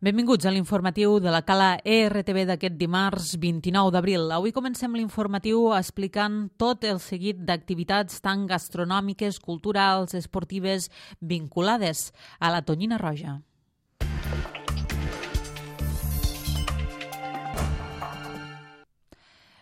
Benvinguts a l'informatiu de la Cala ERTV d'aquest dimarts 29 d'abril. Avui comencem l'informatiu explicant tot el seguit d'activitats tan gastronòmiques, culturals, esportives vinculades a la Tonyina Roja.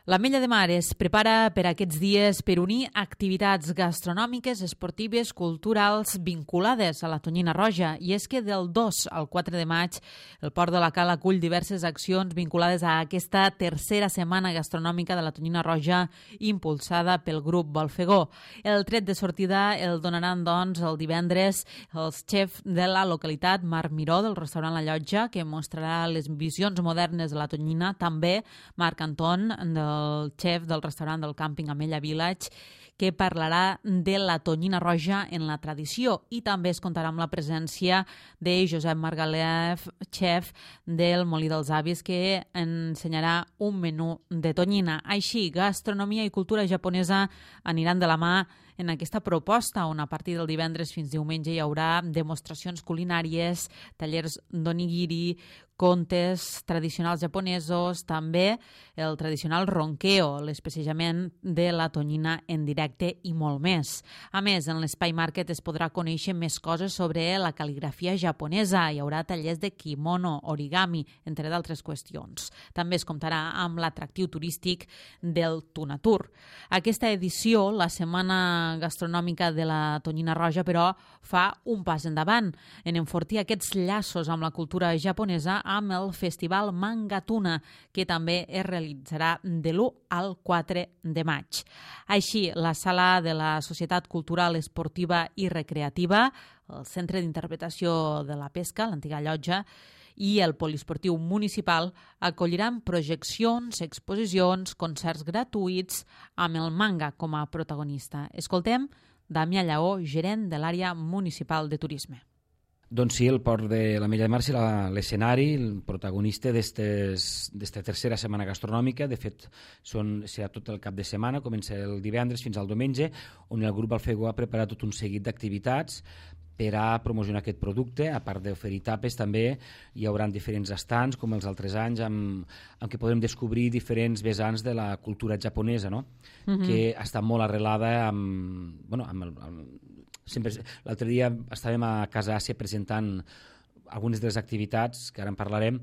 L'Ametlla de Mar es prepara per aquests dies per unir activitats gastronòmiques, esportives, culturals vinculades a la Tonyina Roja. I és que del 2 al 4 de maig el Port de la Cala acull diverses accions vinculades a aquesta tercera setmana gastronòmica de la Tonyina Roja impulsada pel grup Bolfegó. El tret de sortida el donaran doncs el divendres els xefs de la localitat Marc Miró del restaurant La Llotja, que mostrarà les visions modernes de la Tonyina, també Marc Anton el xef del restaurant del càmping Ametlla Village, que parlarà de la Tonyina Roja en la tradició, i també es comptarà amb la presència de Josep Margalef, xef del Molí dels Avis, que ensenyarà un menú de tonyina. Així, gastronomia i cultura japonesa aniran de la mà en aquesta proposta, on a partir del divendres fins diumenge hi haurà demostracions culinàries, tallers d'onigiri, contes tradicionals japonesos, també el tradicional ronkeo, l'especejament de la tonyina en directe i molt més. A més, en l'Espai Market es podrà conèixer més coses sobre la cal·ligrafia japonesa. Hi haurà tallers de kimono, origami, entre d'altres qüestions. També es comptarà amb l'atractiu turístic del Tunatur. Aquesta edició, la Setmana Gastronòmica de la Tonyina Roja, però fa un pas endavant en enfortir aquests llaços amb la cultura japonesa amb el Festival Manga Tuna, que també es realitzarà de l'1 al 4 de maig. Així, la Sala de la Societat Cultural, Esportiva i Recreativa, el Centre d'Interpretació de la Pesca, l'antiga llotja, i el Poliesportiu Municipal acolliran projeccions, exposicions, concerts gratuïts amb el manga com a protagonista. Escoltem Damià Lleó, gerent de l'àrea municipal de turisme. Doncs sí, el Port de l'Ametlla de Mar serà l'escenari, el protagonista d'esta tercera setmana gastronòmica. De fet, serà tot el cap de setmana, comença el divendres fins al diumenge, on el grup Bolfegó ha preparat tot un seguit d'activitats per a promocionar aquest producte. A part d'oferir tapes, també hi haurà diferents estants, com els altres anys, amb què podrem descobrir diferents vessants de la cultura japonesa, no? Que està molt arrelada l'altre dia estàvem a Casa Àsia presentant algunes de les activitats, que ara en parlarem,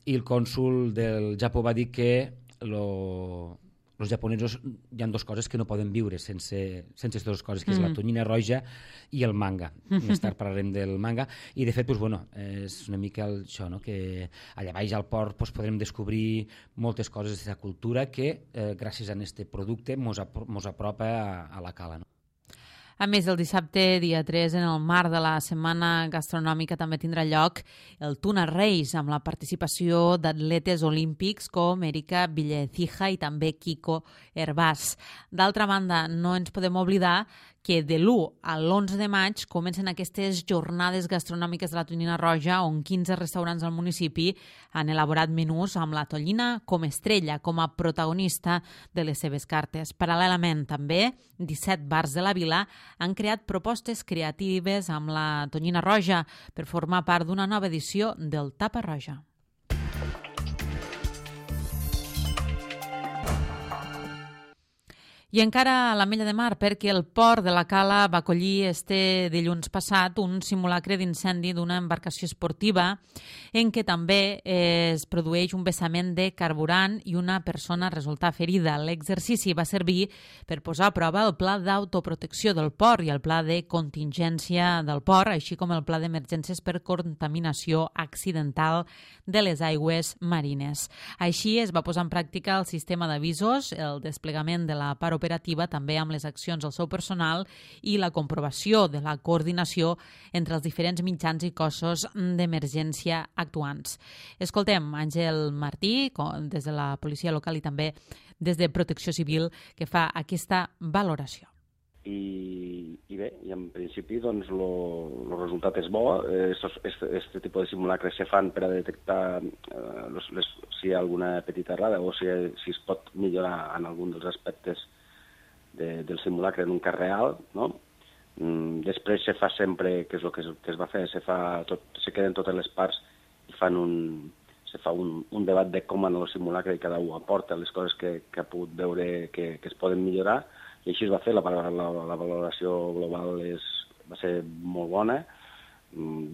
i el cònsol del Japó va dir que els japonesos hi ha dues coses que no poden viure sense aquestes dues coses, que és la Tonyina Roja i el manga. Més tard parlarem del manga. I de fet, és una mica això, no? Que allà baix al port podrem descobrir moltes coses d'aquesta cultura que, gràcies a aquest producte, mos apropa a la cala, no? A més, el dissabte, dia 3, en el marc de la Setmana Gastronòmica, també tindrà lloc el Tuna Race, amb la participació d'atletes olímpics com Erika Villecija i també Kiko Hervás. D'altra banda, no ens podem oblidar que de l'1 a l'11 de maig comencen aquestes jornades gastronòmiques de la Tonyina Roja, on 15 restaurants del municipi han elaborat menús amb la tonyina com estrella, com a protagonista de les seves cartes. Paral·lelament, també, 17 bars de la vila han creat propostes creatives amb la Tonyina Roja per formar part d'una nova edició del Tapa Roja. I encara a l'Ametlla de Mar, perquè el Port de la Cala va acollir este dilluns passat un simulacre d'incendi d'una embarcació esportiva en què també es produeix un vessament de carburant i una persona resulta ferida. L'exercici va servir per posar a prova el pla d'autoprotecció del port i el pla de contingència del port, així com el pla d'emergències per contaminació accidental de les aigües marines. Així es va posar en pràctica el sistema d'avisos, el desplegament de la part operativa, també amb les accions del seu personal i la comprovació de la coordinació entre els diferents mitjans i cossos d'emergència actuants. Escoltem Àngel Martí, des de la policia local i també des de Protecció Civil, que fa aquesta valoració. I bé, i en principi doncs el resultat és bo. Este tipus de simulacres se fan per a detectar si hi ha alguna petita errada o si es pot millorar en algun dels aspectes del simulacre en un cas real, no? Després se fa sempre, que és el que es va fer, se queden totes les parts fa un debat de com en el simulacre i cada un aporta les coses que ha pogut veure que es poden millorar, i així es va fer. La valoració global va ser molt bona.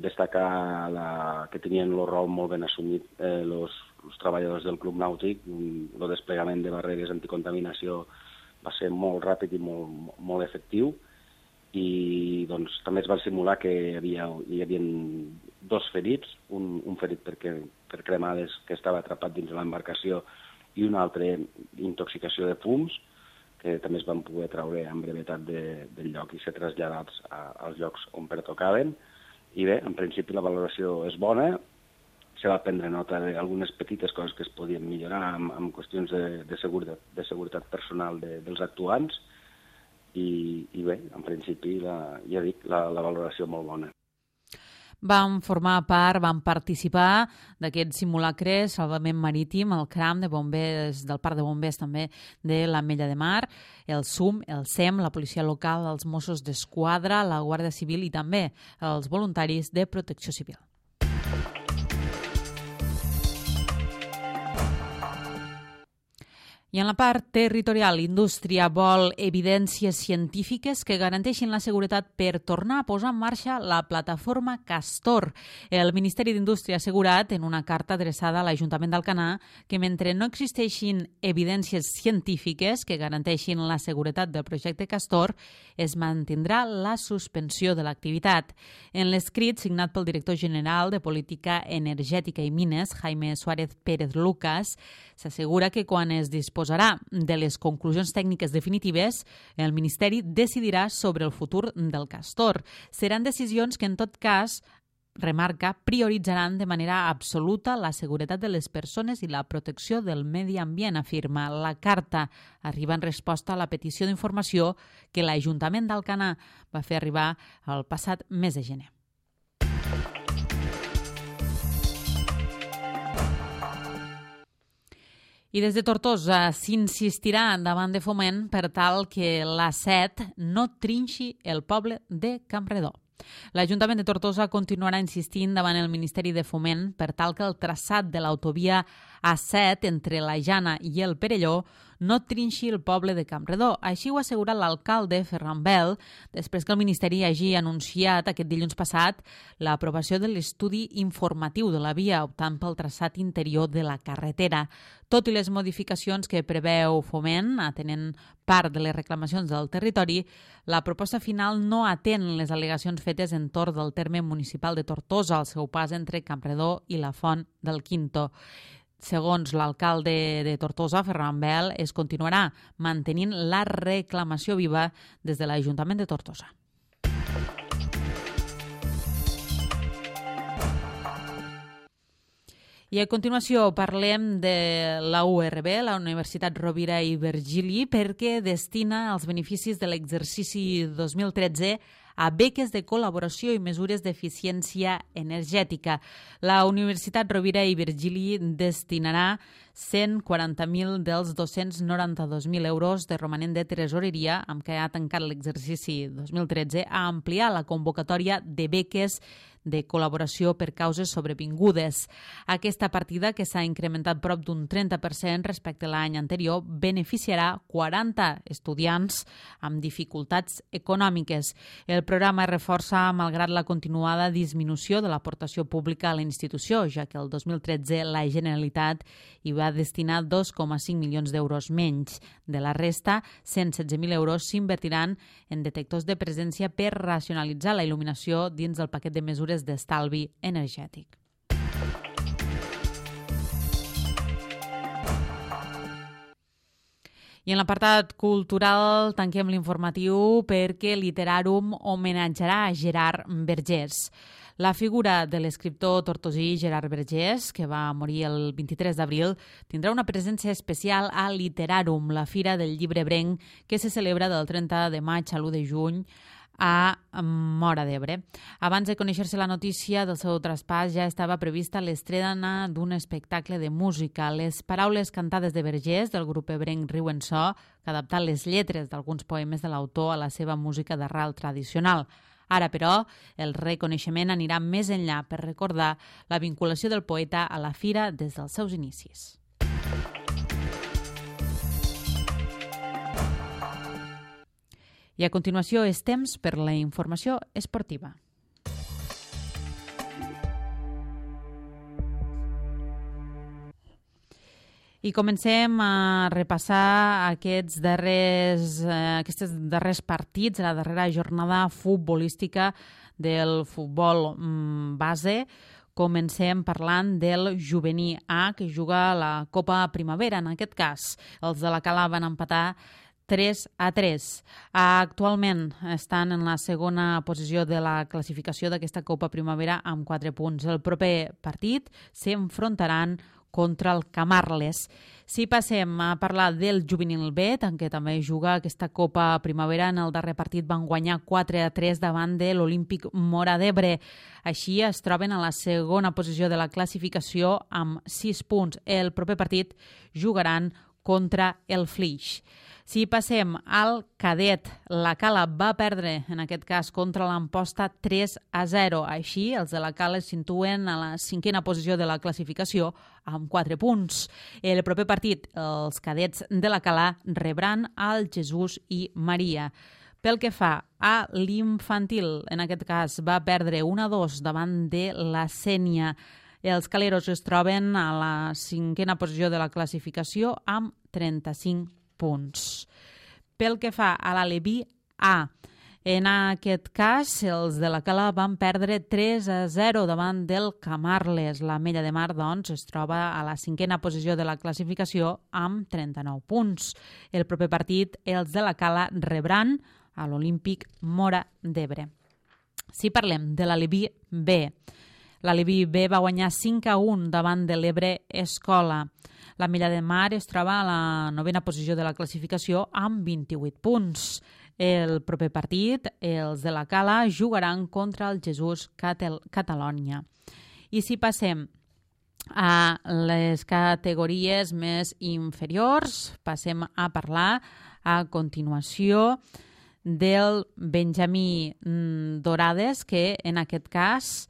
Destacar que tenien el rol molt ben assumit els treballadors del Club Nàutic. El desplegament de barreres anticontaminació va ser molt ràpid i molt efectiu, i doncs, també es va simular que hi havia 2 ferits, un ferit per cremades que estava atrapat dins de l'embarcació i un altre intoxicació de fums, que també es van poder treure amb brevetat del lloc i ser traslladats als llocs on pertocaven. I bé, en principi la valoració és bona, se va prendre nota d'algunes petites coses que es podien millorar en qüestions de seguretat personal dels actuants, i bé, en principi, ja dic, la valoració molt bona. Van formar part, van participar d'aquest simulacre Salvament Marítim, el CRAM de bombers, del Parc de Bombers també de l'Ametlla de Mar, el SUM, el SEM, la Policia Local, els Mossos d'Esquadra, la Guàrdia Civil i també els voluntaris de Protecció Civil. I en la part territorial, l'indústria vol evidències científiques que garanteixin la seguretat per tornar a posar en marxa la plataforma Castor. El Ministeri d'Indústria ha assegurat en una carta adreçada a l'Ajuntament d'Alcanar que mentre no existeixin evidències científiques que garanteixin la seguretat del projecte Castor, es mantindrà la suspensió de l'activitat. En l'escrit signat pel director general de Política Energètica i Mines, Jaime Suárez Pérez Lucas, s'assegura que quan es disposarà de les conclusions tècniques definitives, el Ministeri decidirà sobre el futur del Castor. Seran decisions que, en tot cas, remarca, prioritzaran de manera absoluta la seguretat de les persones i la protecció del medi ambient, afirma. La carta arriba en resposta a la petició d'informació que l'Ajuntament d'Alcanar va fer arribar el passat mes de gener. I des de Tortosa s'insistirà davant de Foment per tal que l'A7 no trinxi el poble de Campredó. L'Ajuntament de Tortosa continuarà insistint davant el Ministeri de Foment per tal que el traçat de l'autovia A7 entre la Jana i el Perelló no trinxi el poble de Campredó. Així ho ha assegurat l'alcalde Ferran Bel després que el Ministeri hagi anunciat aquest dilluns passat l'aprovació de l'estudi informatiu de la via optant pel traçat interior de la carretera. Tot i les modificacions que preveu Foment, atenent part de les reclamacions del territori, la proposta final no atén les al·legacions fetes entorn del terme municipal de Tortosa, al seu pas entre Campredó i la Font del Quinto. Segons l'alcalde de Tortosa, Ferran Bel, es continuarà mantenint la reclamació viva des de l'Ajuntament de Tortosa. I a continuació parlem de la URB, la Universitat Rovira i Virgili, perquè destina els beneficis de l'exercici 2013 a beques de col·laboració i mesures d'eficiència energètica. La Universitat Rovira i Virgili destinarà 140.000 dels 292.000 euros de romanent de tresoreria amb què ha tancat l'exercici 2013 a ampliar la convocatòria de beques de col·laboració per causes sobrevingudes. Aquesta partida, que s'ha incrementat prop d'un 30% respecte a l'any anterior, beneficiarà 40 estudiants amb dificultats econòmiques. El programa es reforça malgrat la continuada disminució de l'aportació pública a la institució, ja que el 2013 la Generalitat hi va destinar 2,5 milions d'euros menys. De la resta, 116.000 euros s'invertiran en detectors de presència per racionalitzar la il·luminació dins del paquet de mesures d'estalvi energètic. I en l'apartat cultural tanquem l'informatiu perquè Literarum homenatjarà a Gerard Vergés. La figura de l'escriptor tortosí Gerard Vergés, que va morir el 23 d'abril, tindrà una presència especial a Literarum, la fira del llibre ebrenc que se celebra del 30 de maig a l'1 de juny a Móra d'Ebre. Abans de conèixer-se la notícia del seu traspàs, ja estava prevista l'estrena d'un espectacle de música. Les paraules cantades de Vergés, del grup ebrenc Riu en So, que ha adaptat les lletres d'alguns poemes de l'autor a la seva música d'arrel tradicional. Ara, però, el reconeixement anirà més enllà per recordar la vinculació del poeta a la fira des dels seus inicis. I a continuació és temps per la informació esportiva. I comencem a repassar aquests darrers partits, la darrera jornada futbolística del futbol base. Comencem parlant del juvenil A, que juga a la Copa Primavera. En aquest cas, els de la Cala van empatar 3-3. Actualment estan en la segona posició de la classificació d'aquesta Copa Primavera amb 4 punts. El proper partit s'enfrontaran contra el Camarles. Si passem a parlar del juvenil B, en què també juga aquesta Copa Primavera, en el darrer partit van guanyar 4-3 davant de l'Olímpic Móra d'Ebre. Així es troben a la segona posició de la classificació amb 6 punts. El proper partit jugaran contra el Flix. Si passem al cadet, la Cala va perdre, en aquest cas, contra l'Amposta 3-0. Així, els de la Cala es situen a la 5a posició de la classificació amb 4 punts. El proper partit, els cadets de la Cala rebran el Jesús i Maria. Pel que fa a l'infantil, en aquest cas, va perdre 1-2 davant de la Sénia. Els caleros es troben a la 5a posició de la classificació amb 35 punts. Pel que fa a l'Aleví A, en aquest cas, els de la Cala van perdre 3-0 davant del Camarles. La Mella de Mar, doncs, es troba a la 5a posició de la classificació amb 39 punts. El proper partit, els de la Cala rebran a l'Olímpic Móra d'Ebre. Si parlem de l'Aleví B, l'Aleví B va guanyar 5-1 davant de l'Ebre Escola. La Mella de Mar es troba a la 9a posició de la classificació amb 28 punts. El proper partit, els de la Cala jugaran contra el Jesús Catalònia. I si passem a les categories més inferiors, passem a parlar a continuació del Benjamí Dorades, que en aquest cas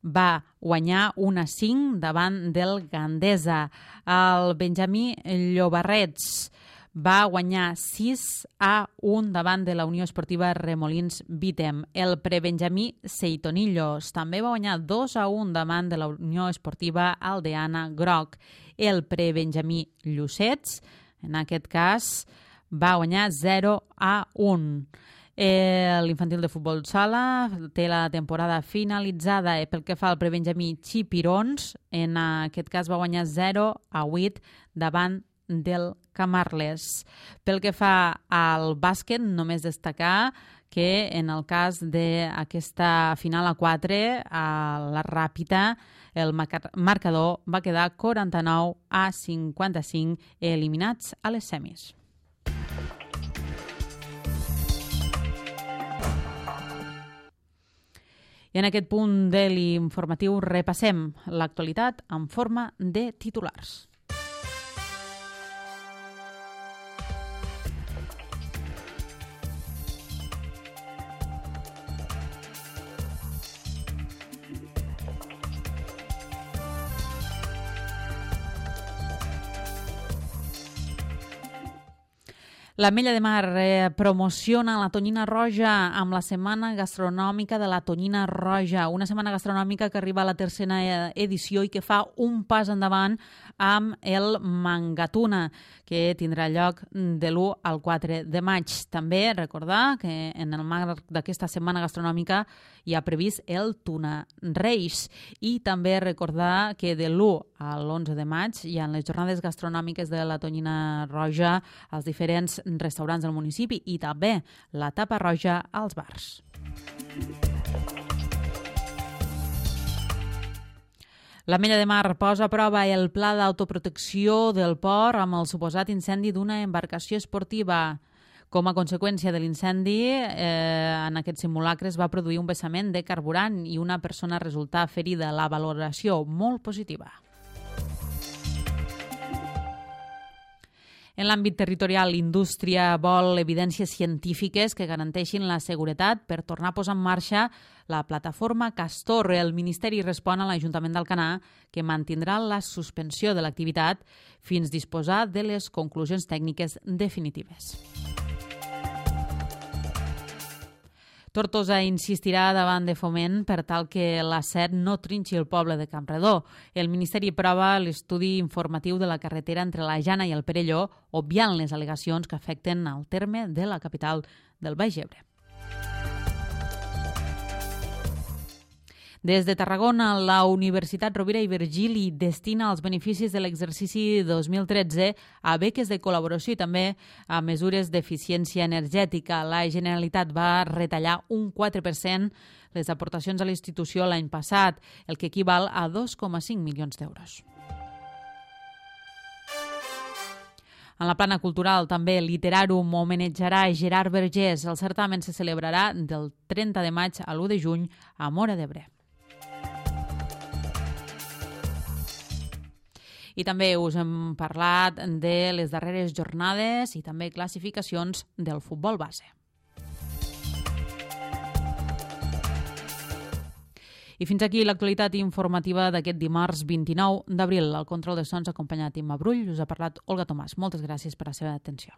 va guanyar 1-5 davant del Gandesa. El Benjamí Llobarrets va guanyar 6-1 davant de la Unió Esportiva Remolins Vítem. El prebenjamí Seitonillos també va guanyar 2-1 davant de la Unió Esportiva Aldeana Groc. El prebenjamí Llucets, en aquest cas, va guanyar 0-1. L'infantil de futbol sala té la temporada finalitzada. Pel que fa al prebenjamí Xipirons, en aquest cas va guanyar 0-8 davant del Camarles. Pel que fa al bàsquet, només destacar que en el cas d'aquesta final a 4, a la Ràpita, el marcador va quedar 49-55, eliminats a les semis. I en aquest punt de l'informatiu repassem l'actualitat en forma de titulars. La Mella de Mar promociona la tonyina roja amb la Setmana Gastronòmica de la Tonyina Roja, una setmana gastronòmica que arriba a la 3a edició i que fa un pas endavant amb el Mangatuna, que tindrà lloc de l'1 al 4 de maig. També recordar que en el marc d'aquesta setmana gastronòmica hi ha previst el Tuna Reis, i també recordar que de l'1 a l'11 de maig hi ha les jornades gastronòmiques de la Tonyina Roja als diferents restaurants del municipi i també la tapa roja als bars. La Mella de Mar posa a prova el pla d'autoprotecció del port amb el suposat incendi d'una embarcació esportiva. Com a conseqüència de l'incendi, en aquest simulacre es va produir un vessament de carburant i una persona resultà ferida. La valoració molt positiva. En l'àmbit territorial, l'indústria vol evidències científiques que garanteixin la seguretat per tornar a posar en marxa la plataforma Castor. El Ministeri respon a l'Ajuntament d'Alcanar que mantindrà la suspensió de l'activitat fins disposar de les conclusions tècniques definitives. Tortosa insistirà davant de Foment per tal que la SER no trinxi el poble de Campredó. El Ministeri aprova l'estudi informatiu de la carretera entre la Jana i el Perelló, obviant les al·legacions que afecten al terme de la capital del Baix Ebre. Des de Tarragona, la Universitat Rovira i Virgili destina els beneficis de l'exercici 2013 a beques de col·laboració i també a mesures d'eficiència energètica. La Generalitat va retallar un 4% les aportacions a la institució l'any passat, el que equival a 2,5 milions d'euros. En la plana cultural, també Literarum homenatjarà Gerard Vergés. El certamen se celebrarà del 30 de maig a l'1 de juny a Móra d'Ebre. I també us hem parlat de les darreres jornades i també classificacions del futbol base. I fins aquí l'actualitat informativa d'aquest dimarts 29 d'abril. Al control de sons acompanyat Imma Brull, us ha parlat Olga Tomàs. Moltes gràcies per la seva atenció.